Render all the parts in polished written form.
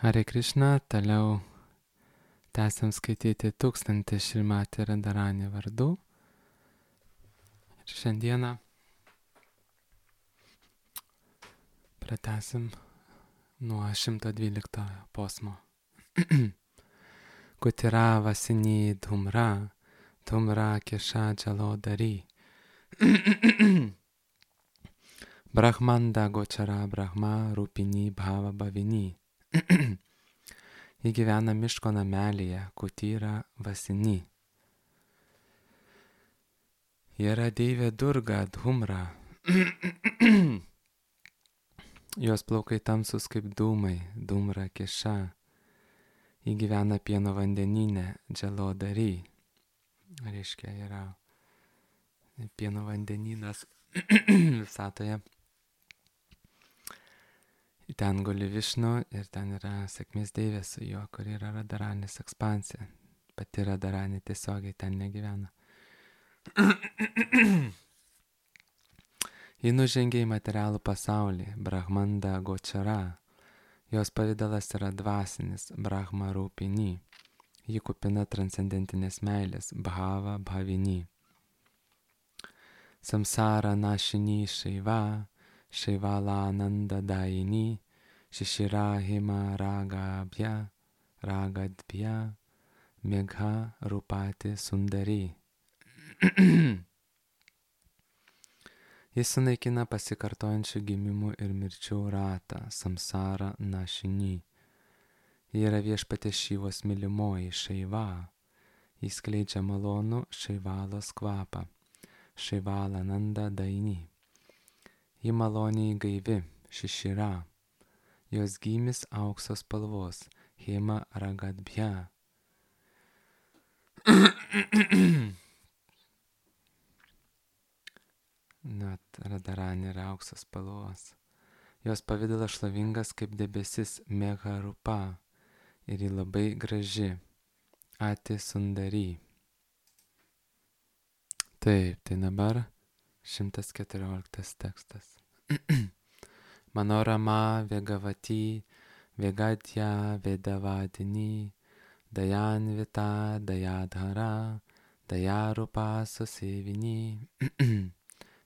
Hare Krishna, toliau tęsiam skaityti 1000 Šrimati Radharani vardų. Ir šiandieną pratęsim nuo 112 posmo. Kutira vasini dhumra, dhumra kesha jalodari. Brahmanda gochara brahma rūpini bhava bhavini. Ji gyvena miško namelyje, Kutira vasini. Ji yra deivė Durga Dhumra. Jos plaukai tamsus kaip dūmai, Dhumra keša. Ji gyvena pieno vandenyne, Jalodari. Reiškia, yra pieno vandenynas visatoje. Ten guli Višnu ir ten yra sėkmės deivė su juo, kur yra Radharanis ekspansija. Pati Radharani tiesiogiai ten negyvena. Ji nužengė į materialų pasaulį, Brahmanda Gochara. Jos pavidalas yra dvasinis, Brahma Rūpini. Ji kupina transcendentinės meilės, Bhava Bhavini. Samsara Nashini Shaiva, Shaivala Ananda Daini, Shishira Hima Ragabhya, Ragadbhya, Megha Rupati Sundari. Jis sunaikina pasikartojančių gimimų ir mirčių ratą, Samsara Nashini. Ji yra viešpatės Šivos mylimoji, Šaiva. Jis skleidžia malonų Šaivalos kvapą, Šaivala Nanda Daini. Ji maloniai gaivi, Shishira. Jos gymis aukso spalvos, Hema Ragadbhya. Net Radharani yra auksos spalvos. Jos pavidalas šlovingas kaip debesis, Megha Rupa. Ir ji labai graži, Ati Sundari. Taip, tai dabar 114 tekstas. Manorama Vegavati, Vegadya Vedavadini, Dayanvita Dayadhara, Dayarupa Susevini.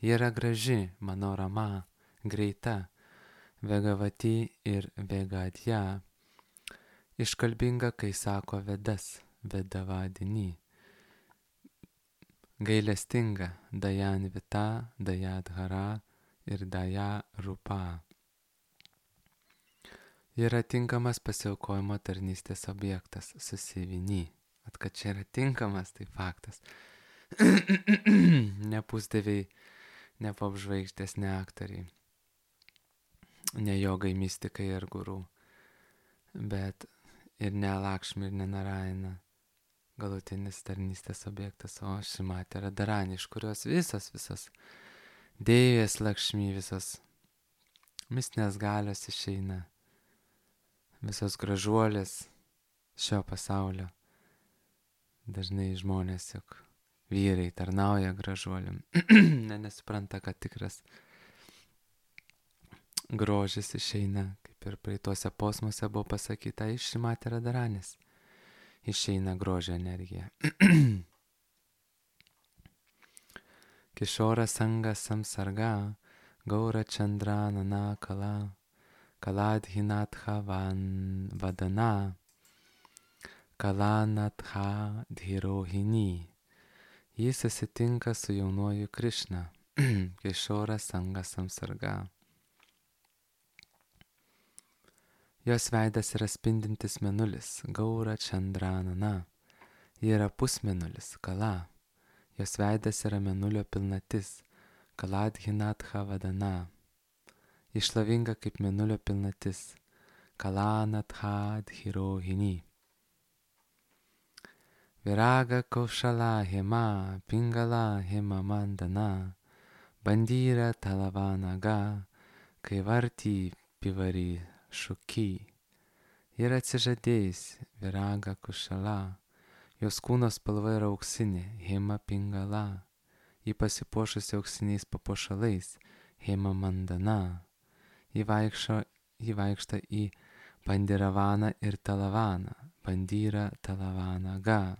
Ji yra graži, Manorama, greita, Vegavati ir Vegadya. Iškalbinga, kai sako Vedas, Vedavadini. Gailestinga, Dayanvita, Dayadhara ir Dayarupa. Ji yra tinkamas pasiaukojimo tarnystės objektas, Susevini. Kad čia yra tinkamas, tai faktas. Ne pusdieviai, ne popžvaigždės, ne aktoriai, ne jogai, mystikai ir gurų, bet ir ne Lakšmi, ir ne Narayana, galutinis tarnystės objektas, o Šrimati Radharani, iš kurios visos deivės Lakšmi, visos mistinės galios išeina, visos gražuolės šio pasaulio. Dažnai žmonės, juk vyrai tarnauja gražuoliam, nesupranta, kad tikras grožis išeina, kaip ir praeituose posmuose buvo pasakyta, iš Šrimati Radharanis išeina grožio energija. Kishora Sanga Samsarga, Gaura Chandra Nana Kala, Kaladhinatha Vadana, Kalanatha Dhirohini. Jis susitinka su jaunuoju Krishna, Kishora Sanga Samsarga. Jos veidas yra spindintis mėnulis, Gaura Chandranana. Ji yra pusmėnulis, Kala. Jos veidas yra mėnulio pilnatis, Kaladhinatha Vadana. Ji šlovinga kaip mėnulio pilnatis, Kalanatha Dhirohini. Viraga Kaushala Hema, Pingala Hema Mandana, Bandyra Talavanaga, Kaivarti Pivari Šuki. Ji yra atsižadėjusi, Viraga Kaushala. Jos kūno spalva yra auksinė, Hema Pingala. Ji pasipuošusi auksiniais papuošalais, Hema Mandana. Ji vaikšto į Pandiravana ir Talavana, Bandira Talavana Ga.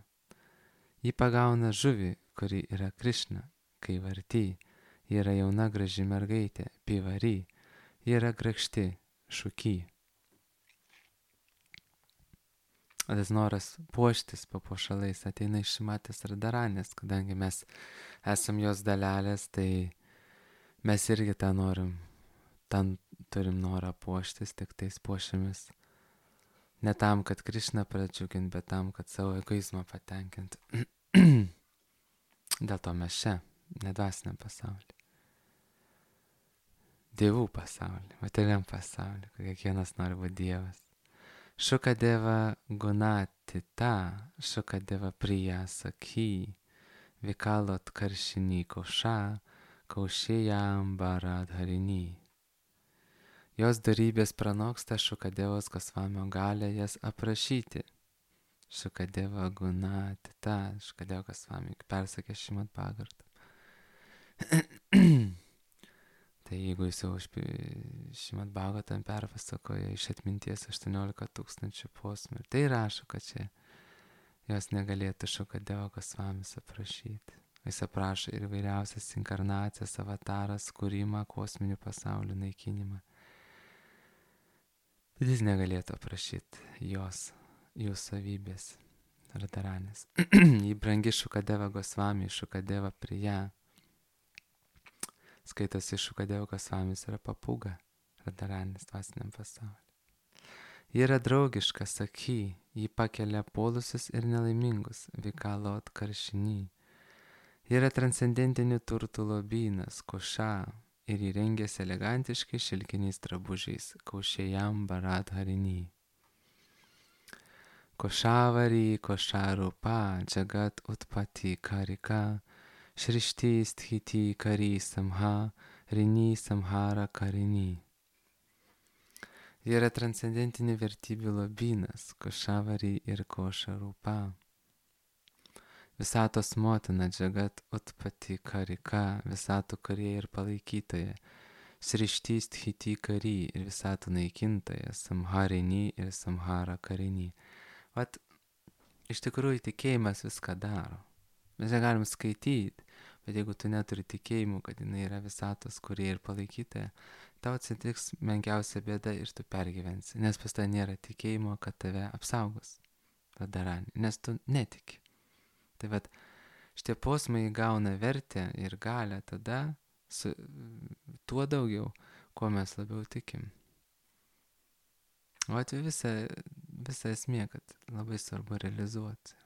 Ji pagauna žuvį, kuri yra Krišna, kai varty, ji yra jauna graži mergaitė, pivary, ji yra grakšti, šuky. O tas noras puoštis papuošalais ateina iš Šimatės Radharanės, kadangi mes esam jos dalelės, tai mes irgi tą norim, ten turim norą puoštis, tik tais puošiamis. Ne tam, kad Krišną pradžiugint, bet tam, kad savo egoizmą patenkint. Dėl to mes čia, nedvasiniam pasaulyje. Dievų pasaulyje, materialiam pasaulyje, kur kiekvienas nori būti Dievas. Shukadeva Gunatita, Shukadeva Priya Sakhi, Vikalot Karshini Kosha, Kaushėjam Baradharini. Jos darybės pranoksta Shukadevos Gosvamio galę jas aprašyti. Shukadeva Gunatita, Shukadeva Gosvami persakė Šrimad Bhagavatam. Tai jeigu jis jau Šrimad Bhagavatam perpasakoja iš atminties 18 000 posmų, tai rašo, kad čia jos negalėtų Shukadeva Gosvamis aprašyti. Jis aprašo ir vairiausias inkarnacijas, avataras, kūrimą, kosminių pasaulių naikinimą. Bet jis negalėtų aprašyti jų savybės, Radharanės. Jį brangi Shukadeva Gosvami, Shukadeva Priya. Skaitosi Shukadeva Gosvamis yra papūga Radharanės dvasiniam pasauliu. Ji yra draugiška, Sakhi, ji pakelia puolusius ir nelaimingus, Vikalot Karshini. Ji yra transcendentinių turtų lobynas, Kosha, ir įrengėsi elegantiškai šilkiniais drabužiais, Kaushėjam Baradharini. Koshavari, Kosharupa, Jagat Utpati Karika, Shrishti Sthiti Kari Samha, Rini Samhara Karini. Ji yra transcendentinių vertybių lobynas, Koshavari ir Kosharupa. Visatos motina, Jagat Utpati Karika, visatų kūrėja ir palaikytoja, Shrishti Sthiti Kari ir visatų naikintoja, Samharini ir Samhara Karini. Vat, iš tikrųjų tikėjimas viską daro. Mes ją galim skaityti, bet jeigu tu neturi tikėjimų, kad jinai yra visatos kūrėja ir palaikytoja, tau atsitiks menkiausia bėda ir tu pergyvensi, nes pas tai nėra tikėjimo, kad tave apsaugos Radharani, nes tu netiki. Tai vat, šitie posmai įgauna vertę ir galę tada su tuo daugiau, kuo mes labiau tikim. O atveju visa esmė, kad labai svarbu realizuoti.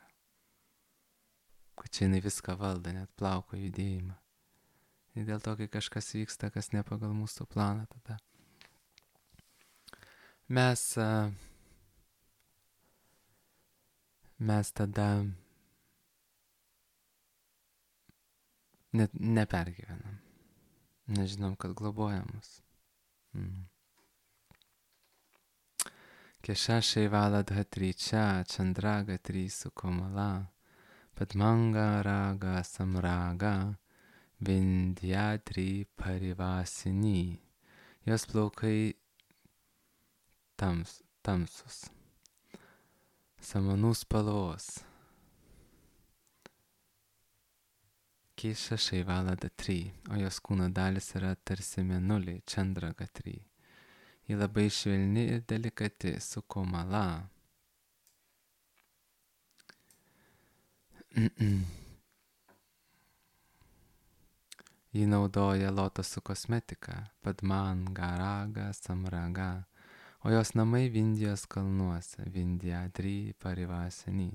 Kad čia jinai viską valdo, net plauko judėjimą. Ir dėl to, kai kažkas vyksta, kas ne pagal mūsų planą, tada mes tada net nepergyvenam. Nežinom, kad globoja mus. Kesha Shaivala Dhatricha Chandragatri Sukomala Padmanga Raga Samraga Vindhyatri Parivasini. Jos plaukai tamsus, samanų spalvos. Kesha Shaivala Dhatri, o jos kūno dalis yra tarsi mėnuliai, Chandragatri. Ji labai švelni ir delikati, Sukomala. Ji naudoja lotosų kosmetiką, Padmanga Raga Samraga, o jos namai Vindijos kalnuose, Vindhyatri Parivasini.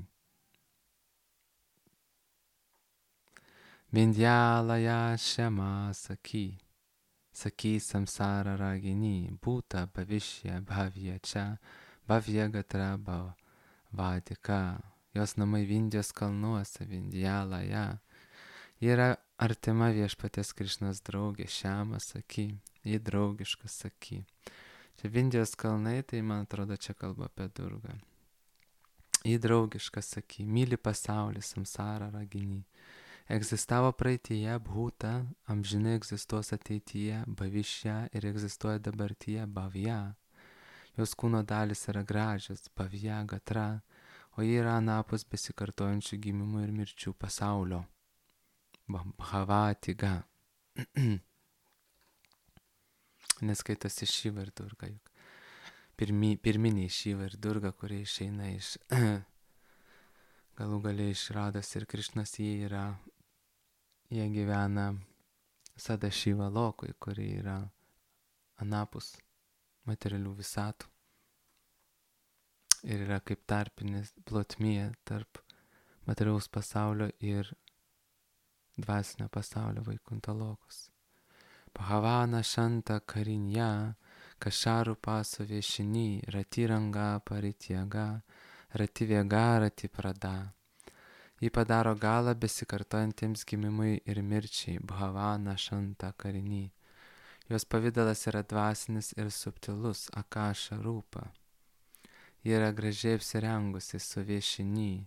Vindhyalaya Shema Sakhi, Sakhi Samsara Ragini, Bhuta Bhavishya Bhavya Cha, Bhavya Gatra Bhavadika. Jos namai Vindijos kalnuose, Vindhyalaya. Ji yra artima viešpaties Krišnos draugė, Šema Sakhi, ji draugiška Sakhi. Čia Vindijos kalnai, tai man atrodo čia kalba apie Durgą. Ji draugiška Sakhi, myli pasaulį, Samsara Ragini. Egzistavo praeityje, Bhuta, amžinai egzistuos ateityje, Bhavishya ir egzistuoja dabartyje, Bhavya. Jos kūno dalis yra gražios, bhavya gatra, o jie yra anapus besikartojančių gimimų ir mirčių pasaulio. Bhavatiga. Neskaitosi Šiva ir Durga, juk pirminiai Šiva ir Durga, kurie išeina iš galų galiai iš Rados ir Krišnos, jie gyvena Sada Šiva lokui, kurie yra anapus materialių visatų. Ir yra kaip tarpinės plotmė tarp materialaus pasaulio ir dvasinio pasaulio Vaikunta lokus. Bhavana Shanta Karinja, Kašarų paso viešiny, Ratiranga Paritjaga, Rativėga Ratiprada. Ji padaro galą besikartojantiems gimimui ir mirčiai, Bhavana Shanta Karinį. Jos pavidalas yra dvasinis ir subtilus, Akaša rūpa. Ji yra gražiai apsirengusi su viešiny.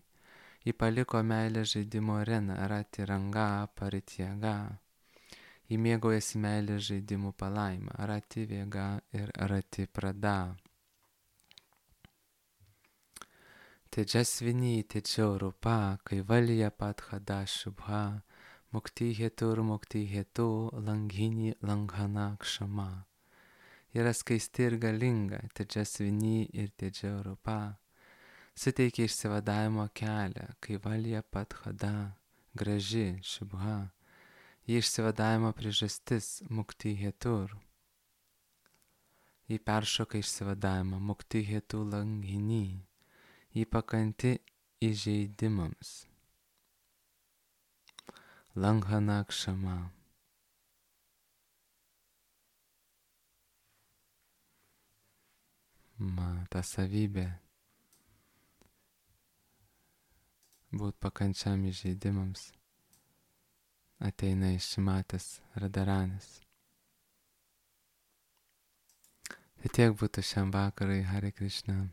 Ji paliko meilės žaidimo areną, Ratiranga Paritjaga. Ji mėgaujasi meilės žaidimų palaimą, Rativėga ir Ratiprada. Tejasvini Tejaurupa, Kaivalya Padhada Shubha, Mukti Hetu, Langhini Langhana Kshama. Yra skaisti ir galinga, Tejasvini ir Tejaurupa. Suteikia išsivadavimo kelią, Kaivalya Padhada, graži Shubha. Ji išsivadavimo priežastis, Mukti Hetur. Ji peršoka išsivadavimą, Mukti Hetu Langhini. Ji pakanti įžeidimams. Langhana Kshama. Ta savybė būt pakančiam įžeidimams ateina iš Šimatės Radharanės. Tai tiek būtų šiam vakarui, Hare Krishna.